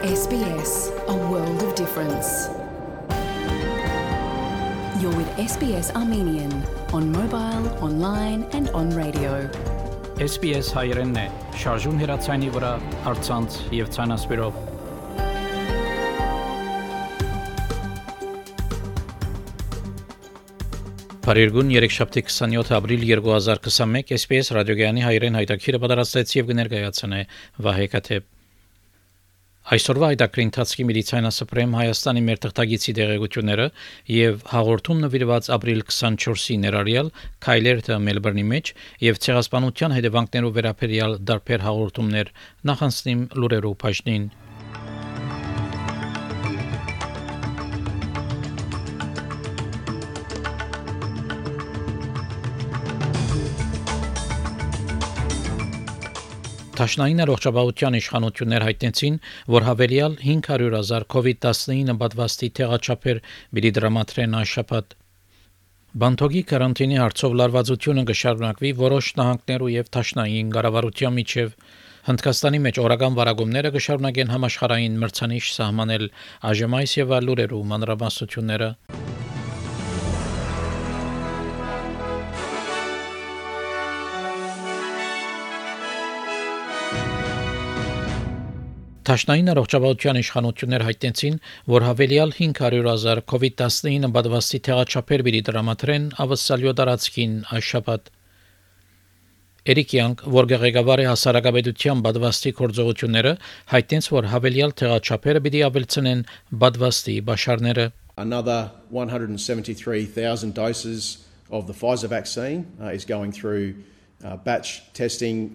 SBS, a world of difference. You're with SBS Armenian on mobile, online and on radio. SBS հայերենն է, շարժուն հեռացանի վրա, առցանց եւ ցանասպիրով։ Փարիգուն 3-7 ապրիլ 2021 SBS ռադիոգյանի հայերեն հայտակիրը պատրաստեց եւ կներկայացնե Վահե Կաթեփ։ Այսօրվա հայտակրի ընթացքի մեդիցինասպրեմ Հայաստանի մեր թղթագիտի դեղեցությունները եւ հաղորդում նվիրված ապրիլ 24-ի ներառյալ Քայլերթը Մելբուրնի մեջ եւ ցեղասպանության հետևանքներով վերաբերյալ դարբեր հաղորդումներ նախանցնիմ լուրերով բաժնին։ Տաշնային առողջապահության իշխանություններ հայտնեցին, որ հավելյալ 500,000 COVID-19 պատվաստի տեղաչափեր պիտի դրամատրեն անշաբաթ։ Բանթոգի կարանտինի հարցով լարվածությունը կշարունակվի որոշ նահանգներու եւ տաշնային կառավարության միջև։ Հնդկաստանի մեջ օրական վարագումները կշարունակեն համաշխարհային մրցանիշ սահմանել այժմ եւ լուրերու մանրամասնությունները։ Տաշնային առողջապահության իշխանություններ հայտնեցին, որ հավելյալ 500,000 COVID-19 պատվաստի տեղաչափեր պիտի դրամատրեն ավսալյո տարածքին այշաբաթ։ Էրիկ Յանգ, որ ղեկավար է հասարակապետության պատվաստի գործողությունները, հայտնեց, որ հավելյալ տեղաչափերը պիտի ավելցնեն պատվաստի բաշարները։ Another 173,000 doses of the Pfizer vaccine is going through batch testing,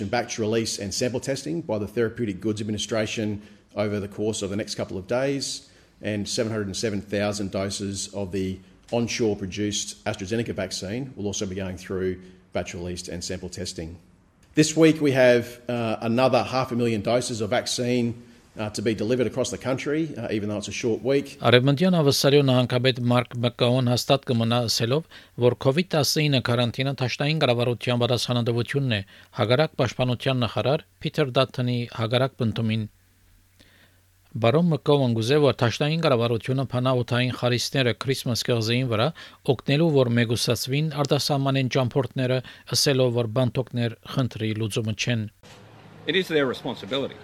batch release and sample testing by the Therapeutic Goods Administration over the course of the next couple of days, and 707,000 doses of the onshore produced AstraZeneca vaccine will also be going through batch released and sample testing. This week we have another 500,000 doses of vaccine to be delivered across the country, even though it's a short week. Արևմտյան ավսալյո նահանգապետ Մարկ Մակկաոն հաստատ կմնա ասելով, որ COVID-19 կարանտինը տաշնային կառավարության պատասխանատվությունն է, հագարակ պաշտպանության նախարար Փիթեր Դաթոնի հագարակ բնդումին։ Բարոն Մակկաոն գուզե, որ տաշնային կառավարությունը փանաօթային խարիսները Քրիսմաս կղզին վրա օգնելու, որ մեգուսացվին արտասահմանեն ճամփորդները, ասելով, որ բանտոկներ խնդրի լուծումը չեն։ It is their responsibility.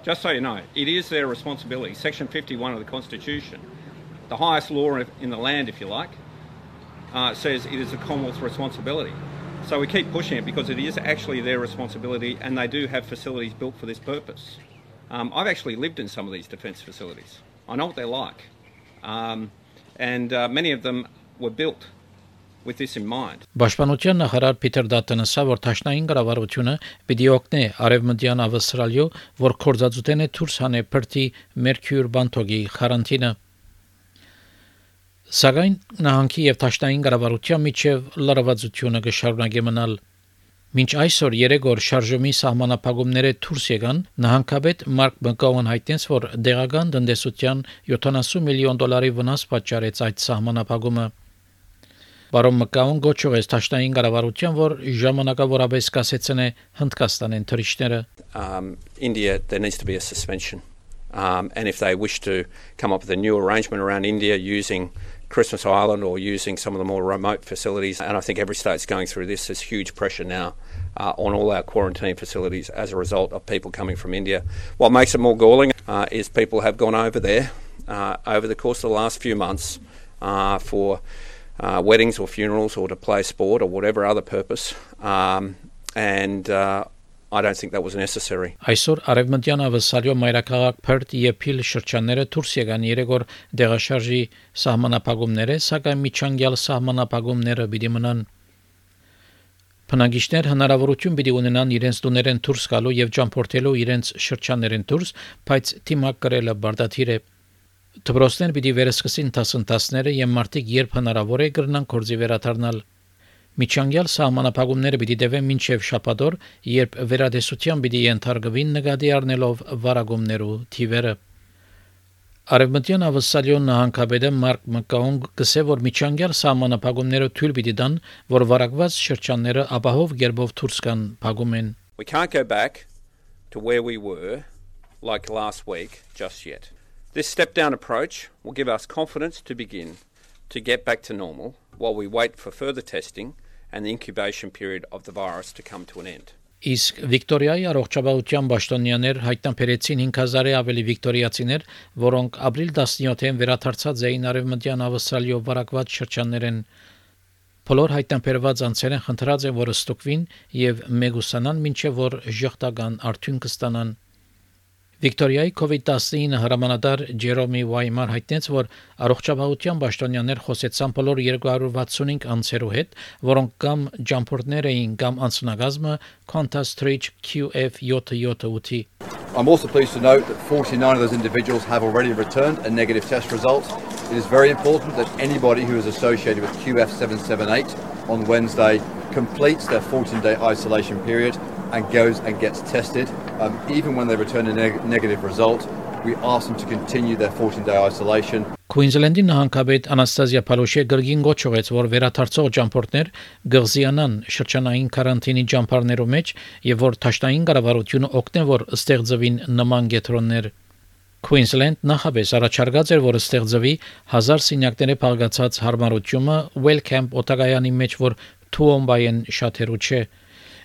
Just so you know, it is their responsibility. Section 51 of the Constitution, the highest law in the land, if you like, says it is the Commonwealth's responsibility. So we keep pushing it because it is actually their responsibility, and they do have facilities built for this purpose. I've actually lived in some of these defence facilities. I know what they're like. And many of them were built with this in mind. Պաշտպանության նախարար Փիթեր Դաթոնը ասա, որ տաշնային կառավարությունը պիտի օգնի արևմտյան ավստրալիո, որ կորզածուտեն է դուրս հանե բրտի Մերկյուր բանթոգի կարանտինը։ Սակայն նահանգի եւ տաշնային կառավարության միջև լարվածությունը կշարունակի մնալ։ Մինչ այսօր 3 օր շարժումի սահմանափակումները դուրս եկան, նահանգապետ Մարկ Մակկաոն հայտնեց, որ դեղական տնտեսության $70 միլիոն վնաս պատճառեց այդ սահմանափակումը։ Բարոն Մակկաոն գոչուեց տաշնային կառավարության, որ ժամանակավորապես կասեցնե Հնդկաստանեն թռիչքները։ India, there needs to be a suspension. And if they wish to come up with a new arrangement around India using Christmas Island or using some of the more remote facilities, and I think every state's going through this, there's huge pressure now on all our quarantine facilities as a result of people coming from India. What makes it more galling is people have gone over there over the course of the last few months for weddings or funerals or to play sport or whatever other purpose, and I don't think that was necessary. Այսօր արևմտյան ավսալյո մայրաքաղաք Փերթ եւ Փիլ շրջանները դուրս եկան 3 օր դեղաշարժի սահմանափակումները, սակայն միջանկյալ սահմանափակումները պիտի մնան։ Բնակիչներ հնարավորություն պիտի ունենան իրենց տուներեն դուրս գալու եւ ճամփորդելու իրենց շրջաններեն դուրս, բայց թիմակ կրելը բարդաթիր է։ Դպրոցներ պիտի վերսկսին դասընթացները եւ մարդիկ երբ հնարավոր է կրնան գործի վերադառնալ։ Միջանկյալ սահմանափակումները պիտի դեվեն մինչև շաբաթօր, երբ վերադեսության պիտի ենթարկվին նկատի առնելով վարագումներու թիվերը։ Արևմտյան ավսալյո նահանգապետը Մարկ Մակկաոն գսե, որ միջանկյալ սահմանափակումները թույլ պիտի տան, որ վարակված շրջանները ապահով գերբով դուրս կան փակում են։ We can't go back to where we were like last week just yet. This step-down approach will give us confidence to begin to get back to normal while we wait for further testing and the incubation period of the virus to come to an end. Իսկ Վիկտորիայի առողջապահության պաշտոնյաներ հայտնաբերեցին 5000-ի ավելի վիկտորիացիներ, որոնք ապրիլ 17-ին վերադարձած էին արևմտյան Ավստրալիայով վարակված շրջաններեն։ Բոլոր հայտնաբերված անձերն խնդրած են, որ ստուգվին եւ մեգուսանան, մինչեւ որ ժողտական արդյունք կստանան։ Վիկտորիայի COVID-19 հրամանատար Ջերոմի Վայմար հայտնեց, որ առողջապահության պաշտոնյաներ խոսեցան բոլոր 265 անձերու հետ, որոնք կամ ջամփորդներ էին, կամ անձնագազմը Qantas Stretch QF778-ի։ I'm also pleased to note that 49 of those individuals have already returned a negative test result. It is very important that anybody who is associated with QF778 on Wednesday completes their 14-day isolation period and goes and gets tested. Even when they return a negative result, we ask them to continue their 14-day isolation. Քուինզլենդի նահանգապետ Անաստազիա Փալոշե գրգին գոչողեց, որ վերադարձող ջամփորդներ գղզիանան շրջանային կարանտինի ջամփարներով մեջ եւ որ ճաշտային կառավարությունը օգնե, որ ստեղծվին նման գետրոններ։ Queensland նախապես առաջարկած էր, որ ստեղծվի 1000 սենյակների փաղկացած հարմարությունը Wellcamp օտագայանի մեջ, որ Թուոմբայեն շատերու չէ։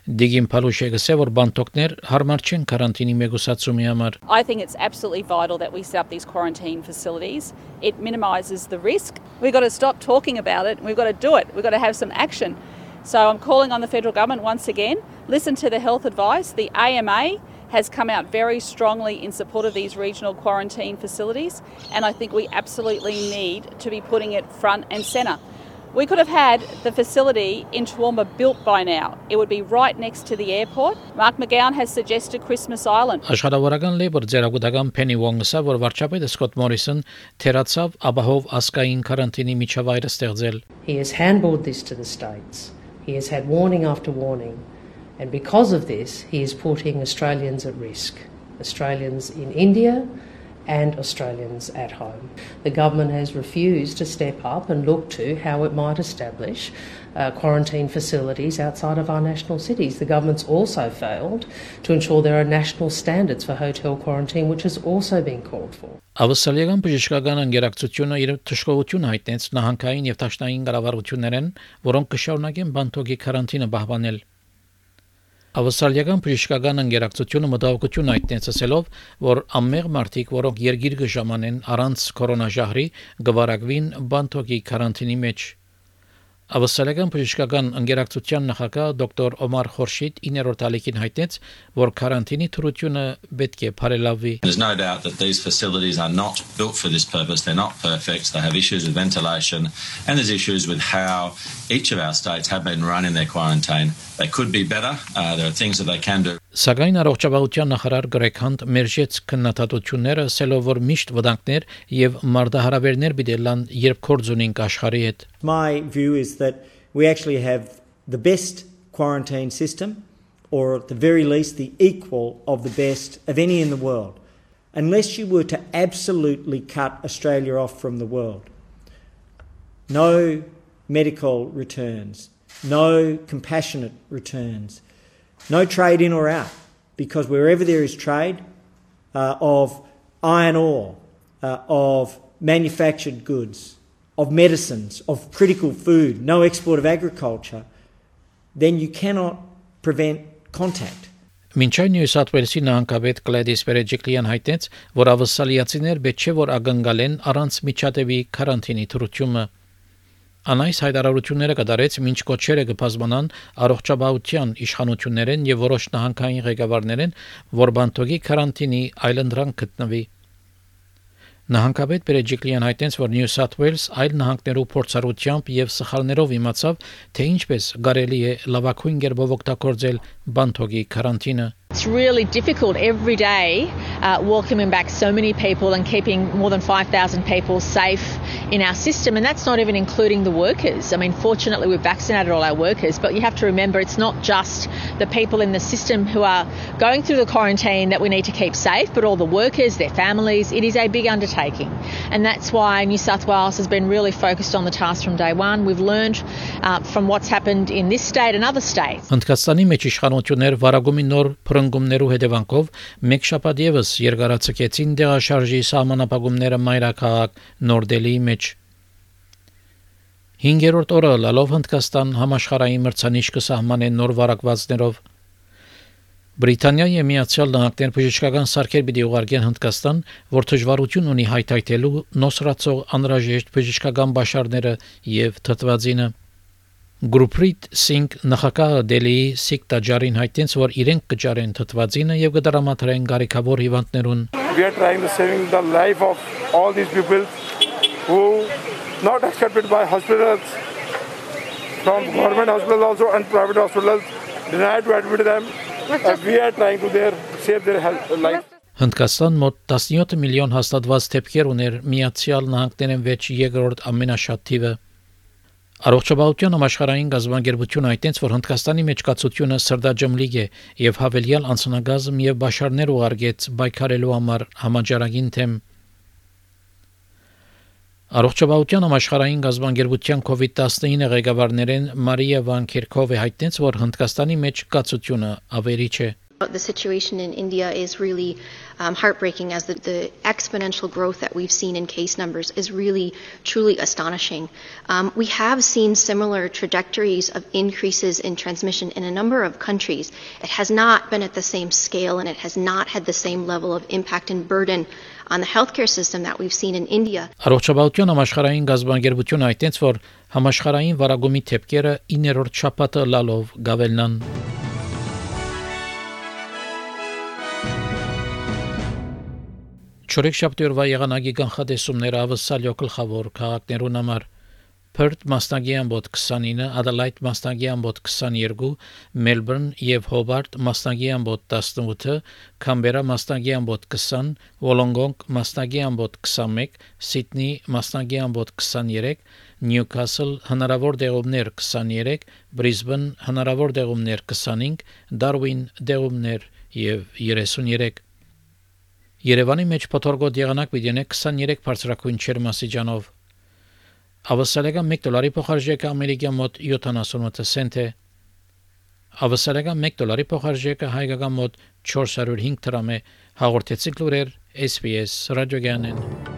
Դիգին Փալուշե գսե, որ բանտոկներ հարմար չեն կարանտինի մեգուսացումի համար։ I think it's absolutely vital that we set up these quarantine facilities. It minimises the risk. We've got to stop talking about it. We've got to do it. We've got to have some action. So I'm calling on the federal government once again, listen to the health advice. The AMA has come out very strongly in support of these regional quarantine facilities, and I think we absolutely need to be putting it front and centre. We could have had the facility in Toowoomba built by now. It would be right next to the airport. Mark McGowan has suggested Christmas Island. Աշխարհավարական լեյբր ձեռագուտական Փենի Վոնգսը, որ վարչապետը Սկոտ Մորիսոն թերացավ ապահով ասկային կարանտինի միջավայրը ստեղծել։ He has handballed this to the states. He has had warning after warning. And because of this, he is putting Australians at risk. Australians in India and Australians at home. The government has refused to step up and look to how it might establish quarantine facilities outside of our national cities. The government's also failed to ensure there are national standards for hotel quarantine, which has also been called for. Ավստրալիական բժշկական անգերակցությունը իր թշկողություն հայտնեց նահանգային եւ տաշնային կառավարություններեն, որոնք կշարունակեն բանտոկի կարանտինը պահպանել։ Ավստրալիական բժշկական անգերակցությունը մտահոգություն հայտնեց ասելով, որ ամեղ մարդիկ, որոնք երգիր կժամանեն առանց կորոնաժահրի, գվարակվին բանտոկի կարանտինի մեջ։ Ավստրալիական բժշկական անգերակցության նախագահ դոկտոր Օմար Խորշիդ 9-րդ ալիքին հայտնեց, որ կարանտինի թրությունը պետք է բարելավվի։ There's no doubt that these facilities are not built for this purpose. They're not perfect. They have issues with ventilation, and there's issues with how each of our states have been running their quarantine. They could be better. There are things that they can do. Սակայն առողջապահության նախարար Գրեգ Հանտ մերժեց քննադատությունները, ասելով, որ միշտ վտանգներ եւ մարդահրավերներ բիդելան, երբ կորձ ունենք աշխարհի հետ։ My view is that we actually have the best quarantine system, or at the very least the equal of the best of any in the world, unless you were to absolutely cut Australia off from the world. No medical returns, no compassionate returns, no trade in or out, because wherever there is trade of iron ore, of manufactured goods, of medicines, of critical food, no export of agriculture, then you cannot prevent contact. Մինչ այն Նյու Սաութ Ուելսի նահանգապետ Գլեդիս Բերեջիկլիան հայտնեց, որ ավստրալիացիներ պետք չէ որ ակնկալեն առանց միջադեպի կարանտինի թրությունը։ Անայս հայտարարությունները կդարեց մինչ կոչերը կբազմանան առողջապահության իշխանություններեն եւ որոշ նահանգային ղեկավարներեն, որ բանտոկի կարանտինի այլընտրանք գտնվի։ Նահանգապետ Բերեջիկլիան հայտնեց, որ Նյու Սաութ Ուելս այլ նահանգներու փորձառությամբ եւ սխալներով իմացավ, թե ինչպես կարելի է լավագույն կերպով օգտագործել բանտոկի կարանտինը։ It's really difficult every day welcoming back so many people and keeping more than 5,000 people safe in our system, and that's not even including the workers. I mean, fortunately, we've vaccinated all our workers, but you have to remember it's not just the people in the system who are going through the quarantine that we need to keep safe, but all the workers, their families. It is a big undertaking, and that's why New South Wales has been really focused on the task from day one. We've learned from what's happened in this state and other states. Հնդկաստանի մեջ իշխանություններ վարագումի նոր փրկումներու հետևանքով մեկ շաբաթ եւս երկարացկեցին դեղաշարժի սահմանապահումները մայրաքաղաք Նոր Դելիի մեջ 5-րդ օրը լալով Հնդկաստան համաշխարհային մրցանիշ կսահմանեն նոր վարակվածներով Բրիտանիայի Միացյալ Նահանգներ բժշկական սարքեր պիտի ուղարկեն Հնդկաստան, որ դժվարություն ունի հայթայթելու նոսրացող անհրաժեշտ բժշկական բաշարները եւ թթվածինը Գուրպրիտ Սինգ նախագահը Դելիի Սիք տաճարին հայտնեց, որ իրենք կճարեն թթվածինը եւ կդրամատրեն գարիկավոր հիվանդներուն We are trying to saving the life of all these people who not accepted by hospitals from government hospitals also and private hospitals denied to admit them. We are trying to save their life. Հնդկաստան մոտ 17 միլիոն հաստատված դեպքեր ուներ Միացյալ Նահանգներեն վեճ երկրորդ ամենաշատ թիվը Առողջապահության համաշխարհային գազբանգերությունը հայտնեց, որ Հնդկաստանի մեջ կացությունը սրտաջմլիկ է եւ հավելյալ անձնագազմ եւ բաշարներ ուղարկեց բայկարելու համար համաճարակին թեմ Առողջապահության համաշխարհային գազբանգերության COVID-19 ղեկավարներեն Մարիա Վան Քերքովը հայտնեց, որ Հնդկաստանի մեջ կացությունը ավերիչ է The situation in India is really heartbreaking as the exponential growth that we've seen in case numbers is really, truly astonishing. We have seen similar trajectories of increases in transmission in a number of countries. It has not been at the same scale and it has not had the same level of impact and burden on the healthcare system that we've seen in India. Առողջապահության համաշխարհային գազբանգերությունը հայտնեց, որ համաշխարհային վարագումի թեփքերը 9-րդ շաբաթը լալով գավելնան Չորեքշաբթի օրվա եղանակի կանխատեսումները ավսալյո գլխավոր քաղաքներուն համար Perth մասնագի ամբոտ 29, Adelaide մասնագի ամբոտ 22, Melbourne եւ Hobart մասնագի ամբոտ 18, Canberra մասնագի ամբոտ 20, Wollongong մասնագի ամբոտ 21, Sydney մասնագի ամբոտ 23, Newcastle հնարավոր դեղումներ 23, Brisbane հնարավոր դեղումներ 25, Darwin դեղումներ եւ 33 Երևանի մեջ փոթորգոտ եղանակ պիտի 23 բարձրակույն չերմասիջանով Ավսալեգան $1 փոխարժեքը ամերիկյան մոտ 78 سنت է Ավսալեգան $1 փոխարժեքը հայկական մոտ 405 դրամ է հաղորդեցիք լուրեր SPS ռադիոգյանեն